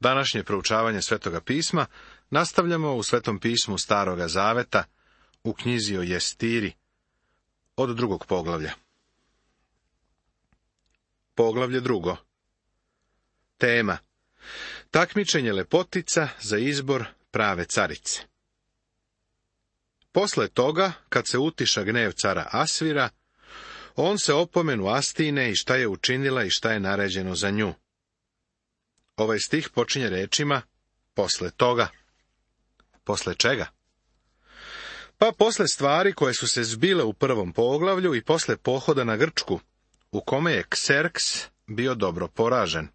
Današnje proučavanje Svetoga pisma nastavljamo u Svetom pismu Staroga zaveta, u knjizi o Jestiri, od 2. poglavlja. Poglavlje 2. Tema: takmičenje lepotica za izbor prave carice. Posle toga, kad se utiša gnjev cara Asvira, on se opomenu Astine i šta je učinila i šta je naređeno za nju. Ovaj stih počinje rečima posle toga. Posle čega? Pa posle stvari koje su se zbile u 1. poglavlju i posle pohoda na Grčku, u kome je Kserks bio dobro poražen.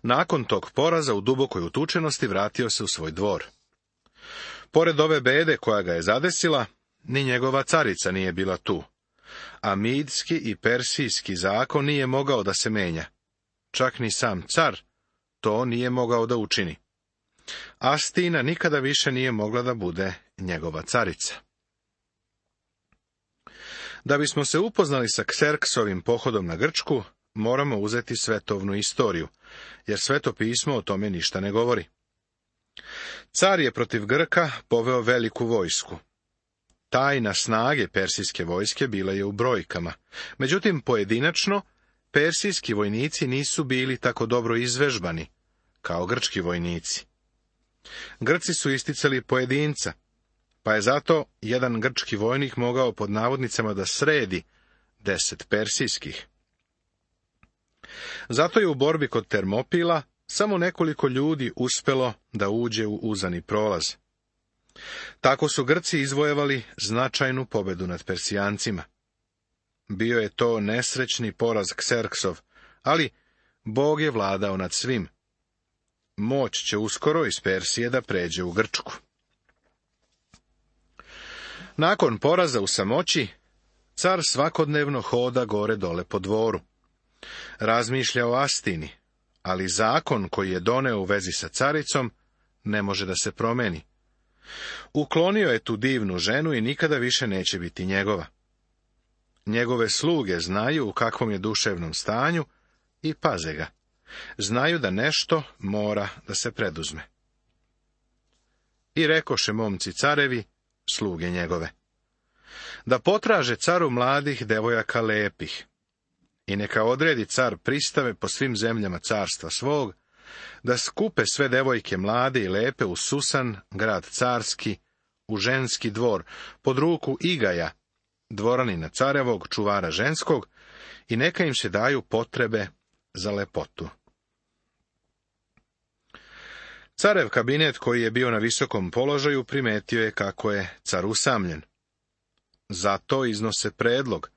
Nakon tog poraza u dubokoj utučenosti vratio se u svoj dvor. Pored ove bede koja ga je zadesila, ni njegova carica nije bila tu, a midski i persijski zakon nije mogao da se menja. Čak ni sam car to nije mogao da učini. Astina nikada više nije mogla da bude njegova carica. Da bismo se upoznali sa Kserksovim pohodom na Grčku, moramo uzeti svetovnu istoriju, jer Sveto pismo o tome ništa ne govori. Car je protiv Grka poveo veliku vojsku. Tajna snage persijske vojske bila je u brojkama, međutim pojedinačno persijski vojnici nisu bili tako dobro izvežbani kao grčki vojnici. Grci su isticali pojedinca, pa je zato jedan grčki vojnik mogao pod navodnicama da sredi 10 persijskih. Zato je u borbi kod Termopila samo nekoliko ljudi uspelo da uđe u uzani prolaz. Tako su Grci izvojevali značajnu pobedu nad Persijancima. Bio je to nesrećni poraz Kserksov, ali Bog je vladao nad svim. Moć će uskoro iz Persije da pređe u Grčku. Nakon poraza u samoći, car svakodnevno hoda gore dole po dvoru. Razmišlja o Astini, ali zakon koji je doneo u vezi sa caricom ne može da se promeni. Uklonio je tu divnu ženu i nikada više neće biti njegova. Njegove sluge znaju u kakvom je duševnom stanju i paze ga. Znaju da nešto mora da se preduzme. I rekoše momci carevi, sluge njegove, da potraže caru mladih devojaka lepih, i neka odredi car pristave po svim zemljama carstva svog, da skupe sve devojke mlade i lepe u Susan, grad carski, u ženski dvor, pod ruku Igaja, dvoranina carevog, čuvara ženskog, i neka im se daju potrebe za lepotu. Carev kabinet, koji je bio na visokom položaju, primetio je kako je car usamljen. Zato iznose predlog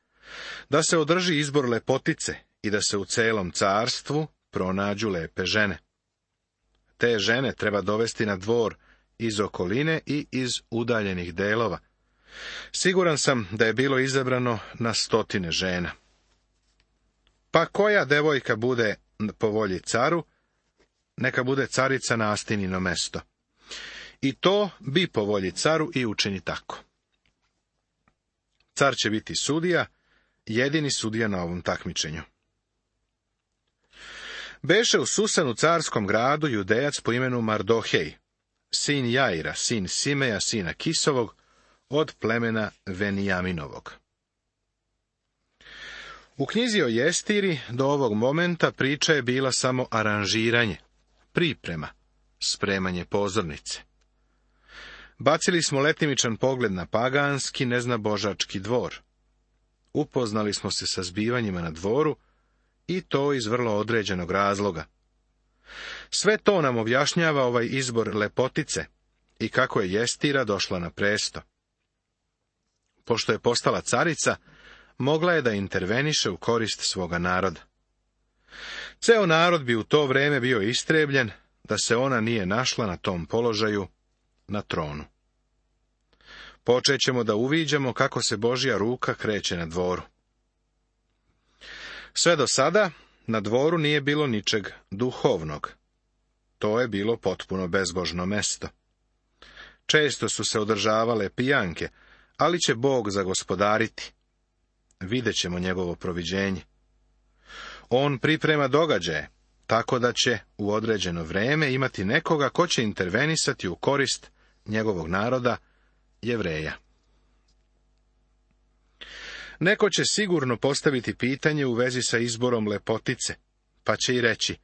da se održi izbor lepotice i da se u celom carstvu pronađu lepe žene. Te žene treba dovesti na dvor iz okoline i iz udaljenih delova. Siguran sam da je bilo izabrano na 100 žena. Pa koja devojka bude po volji caru, neka bude carica na Astinino mesto. I to bi po volji caru i učini tako. Car će biti sudija, jedini sudija na ovom takmičenju. Beše u Susanu carskom gradu Judejac po imenu Mardohej, sin Jaira, sin Simeja, sina Kisovog, od plemena Venijaminovog. U knjizi o Jestiri do ovog momenta priča je bila samo aranžiranje, priprema, spremanje pozornice. Bacili smo letimičan pogled na paganski, neznabožački dvor. Upoznali smo se sa zbivanjima na dvoru, i to iz vrlo određenog razloga. Sve to nam objašnjava ovaj izbor lepotice i kako je Jestira došla na presto. Pošto je postala carica, mogla je da interveniše u korist svoga naroda. Ceo narod bi u to vreme bio istrebljen da se ona nije našla na tom položaju, na tronu. Počećemo da uviđamo kako se Božja ruka kreće na dvoru. Sve do sada na dvoru nije bilo ničeg duhovnog. To je bilo potpuno bezbožno mesto. Često su se održavale pijanke, ali će Bog zagospodariti. Videćemo njegovo proviđenje. On priprema događaje, tako da će u određeno vrijeme imati nekoga ko će intervenisati u korist njegovog naroda, Jevreja. Neko će sigurno postaviti pitanje u vezi sa izborom lepotice, pa će i reći,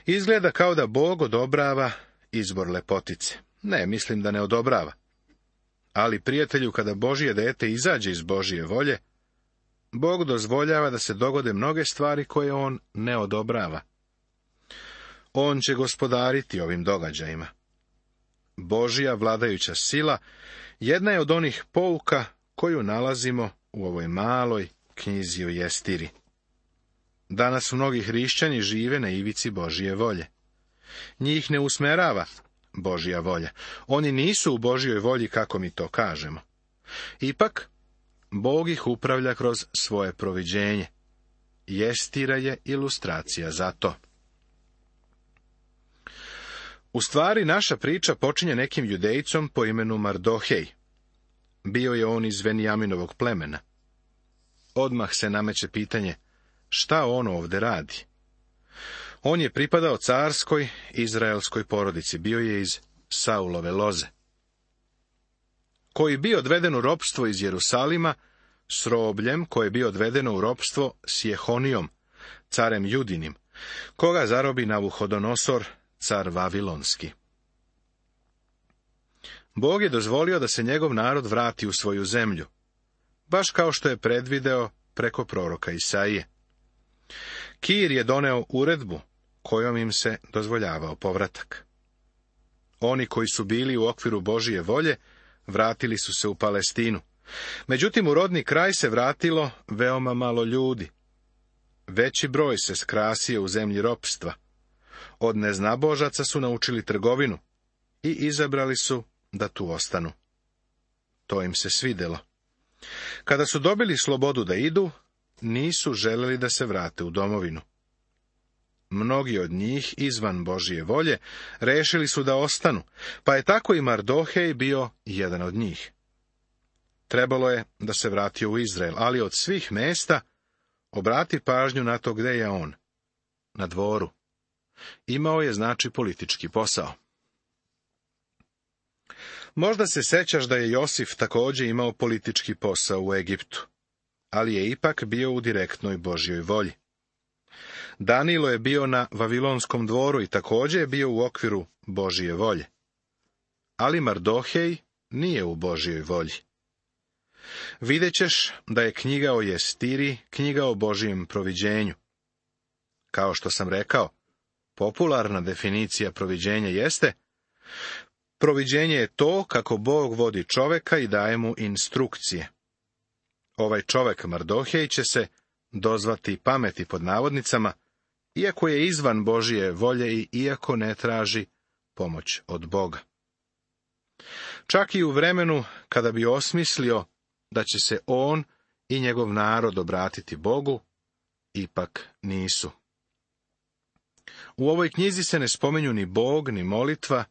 izgleda kao da Bog odobrava izbor lepotice. Ne, mislim da ne odobrava. Ali, prijatelju, kada Božje dete izađe iz Božje volje, Bog dozvoljava da se dogode mnoge stvari koje on ne odobrava. On će gospodariti ovim događajima. Božja vladajuća sila jedna je od onih pouka koju nalazimo u ovoj maloj knjizi o Jestiri. Danas mnogi hrišćani žive na ivici Božje volje. Njih ne usmerava Božja volja. Oni nisu u Božjoj volji, kako mi to kažemo. Ipak, Bog ih upravlja kroz svoje proviđenje. Jestira je ilustracija za to. U stvari, naša priča počinje nekim judejcom po imenu Mardohej. Bio je on iz Venijaminovog plemena. Odmah se nameće pitanje, šta on ovdje radi? On je pripadao carskoj izraelskoj porodici, bio je iz Saulove loze. Koji bio odveden u ropstvo iz Jerusalima, s robljem koje je bio odvedeno u ropstvo s Jehonijom, carem Judinim, koga zarobi Navuhodonosor, car Vavilonski. Bog je dozvolio da se njegov narod vrati u svoju zemlju, baš kao što je predvideo preko proroka Isaije. Kir je doneo uredbu kojom im se dozvoljavao povratak. Oni koji su bili u okviru Božje volje vratili su se u Palestinu. Međutim, u rodni kraj se vratilo veoma malo ljudi. Veći broj se skrasio u zemlji ropstva. Od neznabožaca su naučili trgovinu i izabrali su da tu ostanu. To im se svidjelo. Kada su dobili slobodu da idu, nisu želeli da se vrate u domovinu. Mnogi od njih, izvan Božje volje, rešili su da ostanu, pa je tako i Mardohej bio jedan od njih. Trebalo je da se vratio u Izrael, ali od svih mesta obrati pažnju na to gde je on. Na dvoru. Imao je, znači, politički posao. Možda se sećaš da je Josif također imao politički posao u Egiptu, ali je ipak bio u direktnoj Božjoj volji. Danilo je bio na Vavilonskom dvoru i također je bio u okviru Božje volje. Ali Mardohej nije u Božjoj volji. Vidjet ćeš da je knjiga o Jestiri knjiga o Božjem proviđenju. Kao što sam rekao, popularna definicija proviđenja jeste: proviđenje je to kako Bog vodi čoveka i daje mu instrukcije. Ovaj čovek Mardohej će se dozvati pameti pod navodnicama, iako je izvan Božje volje i iako ne traži pomoć od Boga. Čak i u vremenu kada bi osmislio da će se on i njegov narod obratiti Bogu, ipak nisu. U ovoj knjizi se ne spominju ni Bog, ni molitva,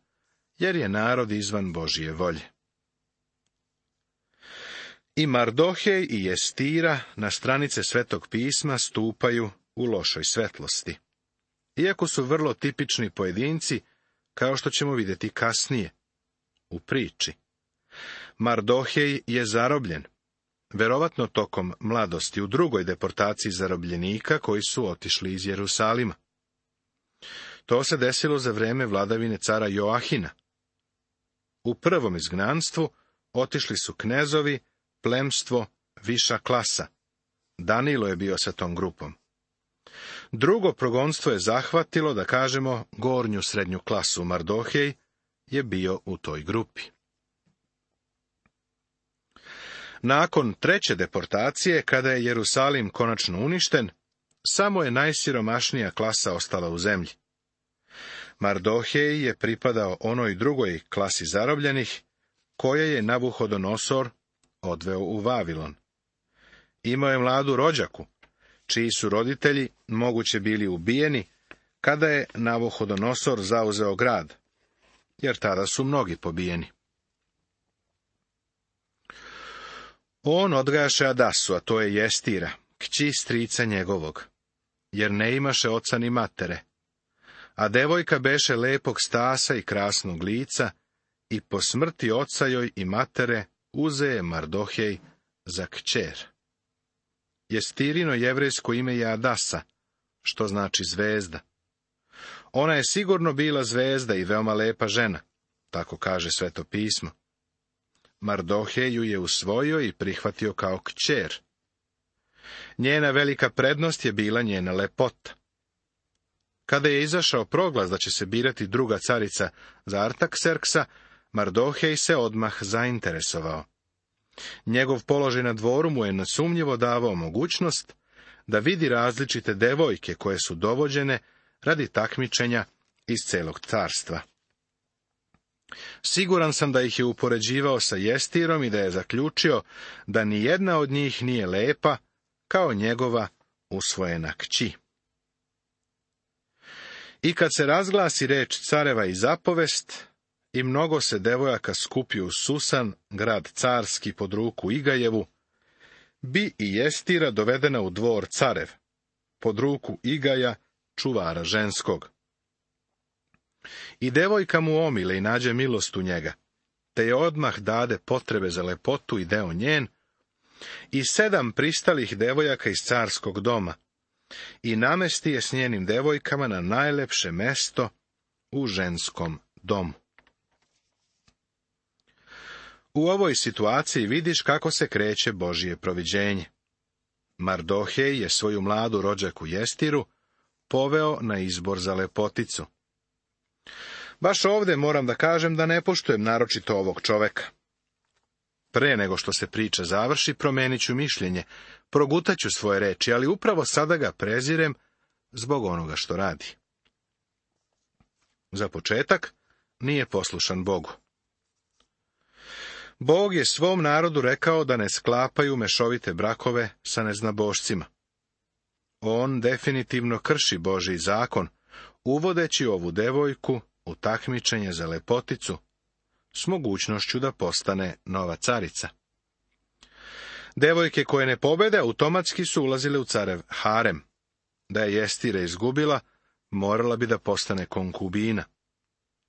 jer je narod izvan Božje volje. I Mardohej i Jestira na stranice Svetog pisma stupaju u lošoj svetlosti, iako su vrlo tipični pojedinci, kao što ćemo vidjeti kasnije u priči. Mardohej je zarobljen, verovatno tokom mladosti, u drugoj deportaciji zarobljenika koji su otišli iz Jerusalima. To se desilo za vrijeme vladavine cara Joahina. U prvom izgnanstvu otišli su knezovi, plemstvo, viša klasa. Danilo je bio sa tom grupom. Drugo progonstvo je zahvatilo, da kažemo, gornju srednju klasu. Mardohej je bio u toj grupi. Nakon treće deportacije, kada je Jerusalim konačno uništen, samo je najsiromašnija klasa ostala u zemlji. Mardohej je pripadao onoj drugoj klasi zarobljenih, koje je Navuhodonosor odveo u Vavilon. Imao je mladu rođaku, čiji su roditelji moguće bili ubijeni kada je Navuhodonosor zauzeo grad, jer tada su mnogi pobijeni. On odgajaše Adasu, a to je Jestira, kći strica njegovog, jer ne imaše oca ni matere, a devojka beše lepog stasa i krasnog lica, i po smrti oca joj i matere uze je Mardohej za kćer. Jestirino jevrejsko ime je Adasa, što znači zvezda. Ona je sigurno bila zvezda i veoma lepa žena, tako kaže Sveto pismo. Mardohej ju je usvojio i prihvatio kao kćer. Njena velika prednost je bila njena lepota. Kada je izašao proglas da će se birati druga carica za Artakserksa, Mardohej se odmah zainteresovao. Njegov položaj na dvoru mu je nesumnjivo davao mogućnost da vidi različite devojke koje su dovođene radi takmičenja iz celog carstva. Siguran sam da ih je upoređivao sa Jestirom i da je zaključio da ni jedna od njih nije lepa kao njegova usvojena kći. I kad se razglasi reč careva i zapovest, i mnogo se devojaka skupi u Susan, grad carski pod ruku Igajevu, bi i Jestira dovedena u dvor carev, pod ruku Igaja, čuvara ženskog. I devojka mu omile i nađe milost u njega, te je odmah dade potrebe za lepotu i deo njen, i 7 pristalih devojaka iz carskog doma, i namesti je s njenim devojkama na najlepše mesto u ženskom domu. U ovoj situaciji vidiš kako se kreće Božje proviđenje. Mardohej je svoju mladu rođaku Jestiru poveo na izbor za lepoticu. Baš ovdje moram da kažem da ne poštujem naročito ovog čoveka. Pre nego što se priča završi, promenit ću mišljenje, progutaću svoje reči, ali upravo sada ga prezirem zbog onoga što radi. Za početak, nije poslušan Bogu. Bog je svom narodu rekao da ne sklapaju mešovite brakove sa neznabošcima. On definitivno krši Božji zakon, uvodeći ovu devojku u takmičenje za lepoticu, s mogućnošću da postane nova carica. Devojke koje ne pobede automatski su ulazile u carev harem. Da je Jestira izgubila, morala bi da postane konkubina.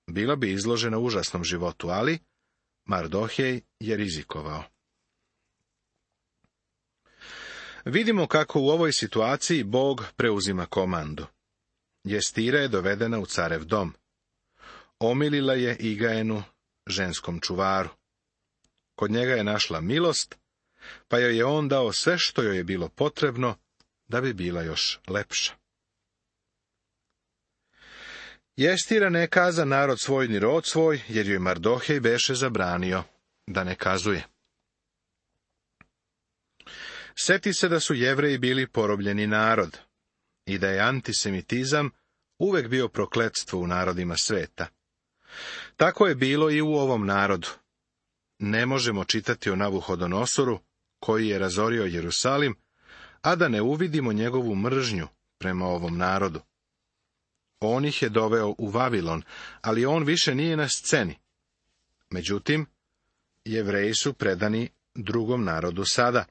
Bila bi izložena užasnom životu, ali Mardohej je rizikovao. Vidimo kako u ovoj situaciji Bog preuzima komandu. Jestira je dovedena u carev dom. Omilila je Igajenu, ženskom čuvaru. Kod njega je našla milost, pa joj je on dao sve što joj je bilo potrebno da bi bila još lepša. Jestira ne kaza narod svoj ni rod svoj, jer joj Mardohej beše zabranio da ne kazuje. Seti se da su Jevreji bili porobljeni narod i da je antisemitizam uvek bio prokletstvo u narodima sveta. Tako je bilo i u ovom narodu. Ne možemo čitati o Navuhodonosoru, koji je razorio Jerusalim, a da ne uvidimo njegovu mržnju prema ovom narodu. On ih je doveo u Vavilon, ali on više nije na sceni. Međutim, Jevreji su predani drugom narodu sada.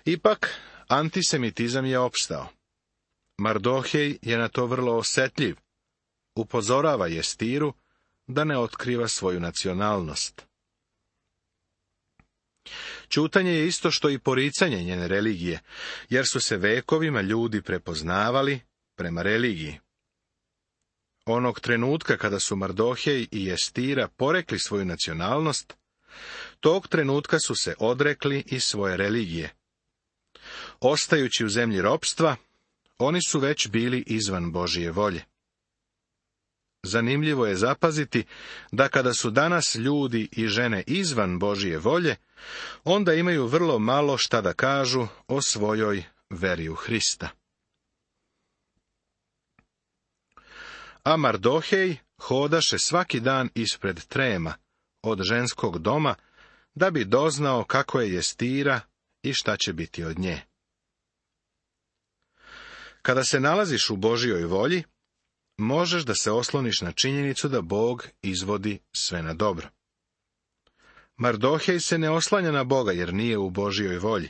Ipak, antisemitizam je opstao. Mardohej je na to vrlo osetljiv. Upozorava Jestiru da ne otkriva svoju nacionalnost. Ćutanje je isto što i poricanje njene religije, jer su se vekovima ljudi prepoznavali prema religiji. Onog trenutka kada su Mardohej i Jestira porekli svoju nacionalnost, tog trenutka su se odrekli i svoje religije. Ostajući u zemlji ropstva, oni su već bili izvan Božije volje. Zanimljivo je zapaziti da kada su danas ljudi i žene izvan Božije volje, onda imaju vrlo malo šta da kažu o svojoj veri u Hrista. A Mardohej hodaše svaki dan ispred trema od ženskog doma, da bi doznao kako je Jestira i šta će biti od nje. Kada se nalaziš u Božijoj volji, možeš da se osloniš na činjenicu da Bog izvodi sve na dobro. Mardohej se ne oslanja na Boga jer nije u Božijoj volji.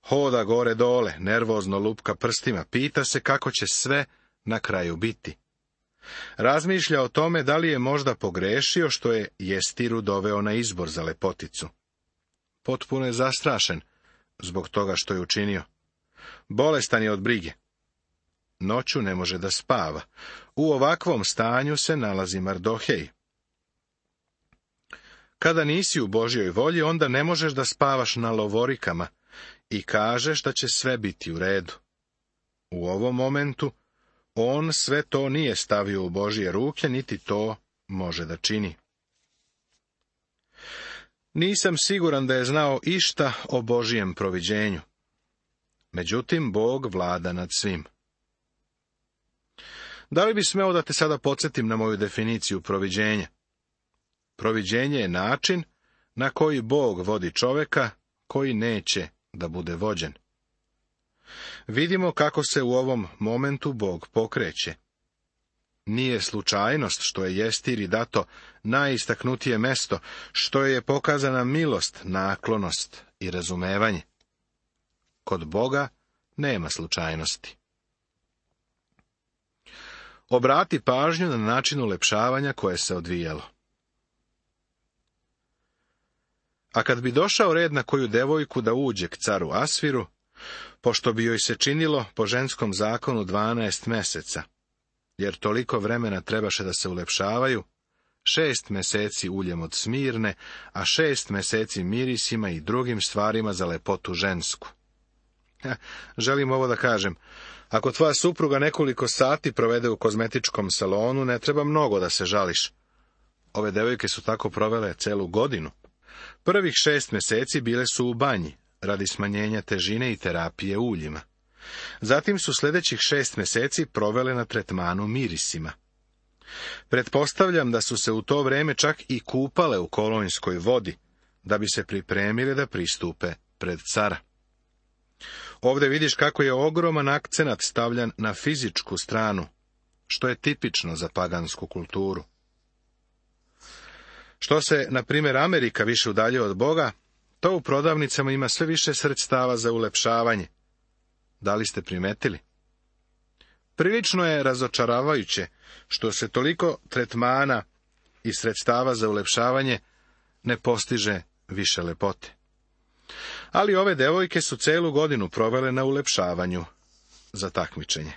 Hoda gore dole, nervozno lupka prstima, pita se kako će sve na kraju biti. Razmišlja o tome da li je možda pogrešio što je Jestiru doveo na izbor za lepoticu. Potpuno je zastrašen zbog toga što je učinio. Bolestan je od brige. Noću ne može da spava. U ovakvom stanju se nalazi Mardohej. Kada nisi u Božjoj volji, onda ne možeš da spavaš na lovorikama i kažeš da će sve biti u redu. U ovom momentu on sve to nije stavio u Božje ruke, niti to može da čini. Nisam siguran da je znao išta o Božjem proviđenju. Međutim, Bog vlada nad svim. Da li bi smeo da te sada podsjetim na moju definiciju proviđenja? Proviđenje je način na koji Bog vodi čoveka koji neće da bude vođen. Vidimo kako se u ovom momentu Bog pokreće. Nije slučajnost što je Jestiri dato najistaknutije mesto, što je pokazana milost, naklonost i razumevanje. Kod Boga nema slučajnosti. Obrati pažnju na način ulepšavanja koje se odvijalo. A kad bi došao red na koju devojku da uđe k caru Asviru, pošto bi joj se činilo po ženskom zakonu 12 meseca, jer toliko vremena trebaše da se ulepšavaju, 6 meseci uljem od smirne, a 6 meseci mirisima i drugim stvarima za lepotu žensku. Želim ovo da kažem. Ako tvoja supruga nekoliko sati provede u kozmetičkom salonu, ne treba mnogo da se žališ. Ove devojke su tako provele celu godinu. Prvih 6 meseci bile su u banji, radi smanjenja težine i terapije uljima. Zatim su sljedećih 6 meseci provele na tretmanu mirisima. Pretpostavljam da su se u to vreme čak i kupale u kolonjskoj vodi, da bi se pripremile da pristupe pred cara. Ovdje vidiš kako je ogroman akcenat stavljan na fizičku stranu, što je tipično za pagansku kulturu. Što se, na primjer, Amerika više udaljuje od Boga, to u prodavnicama ima sve više sredstava za ulepšavanje. Da li ste primetili? Prilično je razočaravajuće što se toliko tretmana i sredstava za ulepšavanje ne postiže više lepote. Ali ove devojke su celu godinu provele na ulepšavanju za takmičenje.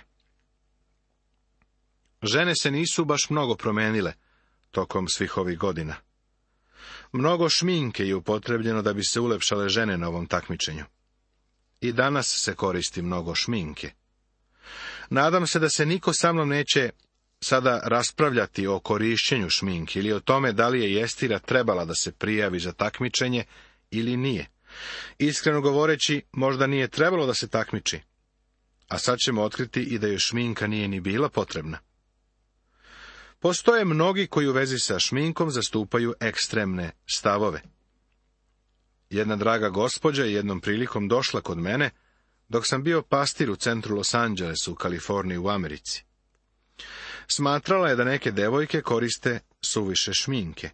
Žene se nisu baš mnogo promenile tokom svih ovih godina. Mnogo šminke je upotrebljeno da bi se ulepšale žene na ovom takmičenju. I danas se koristi mnogo šminke. Nadam se da se niko sa mnom neće sada raspravljati o korišćenju šminke ili o tome da li je Jestira trebala da se prijavi za takmičenje ili nije. Iskreno govoreći, možda nije trebalo da se takmiči, a sad ćemo otkriti i da joj šminka nije ni bila potrebna. Postoje mnogi koji u vezi sa šminkom zastupaju ekstremne stavove. Jedna draga gospođa je jednom prilikom došla kod mene, dok sam bio pastir u centru Los Angelesu u Kaliforniji u Americi. Smatrala je da neke devojke koriste suviše šminke.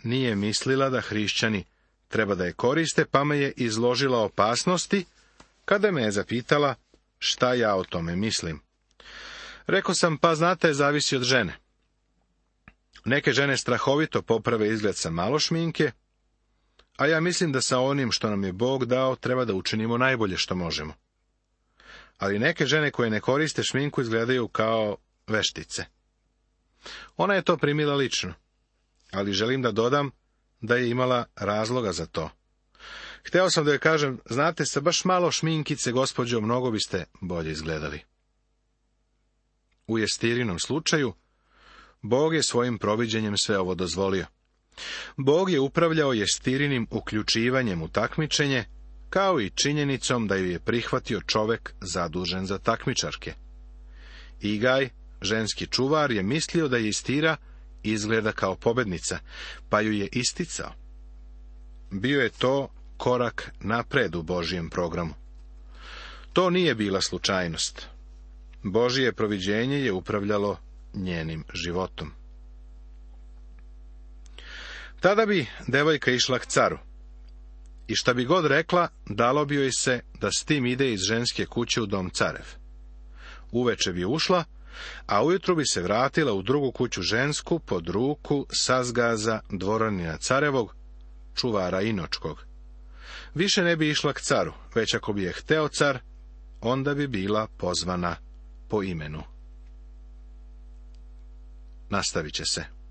Nije mislila da hrišćani treba da je koriste, pa me je izložila opasnosti, kada me je zapitala šta ja o tome mislim. Rekao sam, pa znate, zavisi od žene. Neke žene strahovito poprave izgled sa malo šminke, a ja mislim da sa onim što nam je Bog dao treba da učinimo najbolje što možemo. Ali neke žene koje ne koriste šminku izgledaju kao veštice. Ona je to primila lično, ali želim da dodam da je imala razloga za to. Hteo sam da joj kažem, znate, sa baš malo šminkice, gospođo, mnogo biste bolje izgledali. U Jestirinom slučaju, Bog je svojim proviđenjem sve ovo dozvolio. Bog je upravljao Jestirinim uključivanjem u takmičenje, kao i činjenicom da ju je prihvatio čovek zadužen za takmičarke. Igaj, ženski čuvar, je mislio da Jestira izgleda kao pobednica, pa ju je isticao. Bio je to korak napred u Božjem programu. To nije bila slučajnost. Božje proviđenje je upravljalo njenim životom. Tada bi devojka išla k caru. I šta bi god rekla, dalo bi joj se da s tim ide iz ženske kuće u dom carev. Uveče bi ušla, a ujutru bi se vratila u drugu kuću žensku pod ruku Sazgaza, dvoranina carevog, čuvara Inočkog. Više ne bi išla k caru, već ako bi je hteo car, onda bi bila pozvana po imenu. Nastavit će se.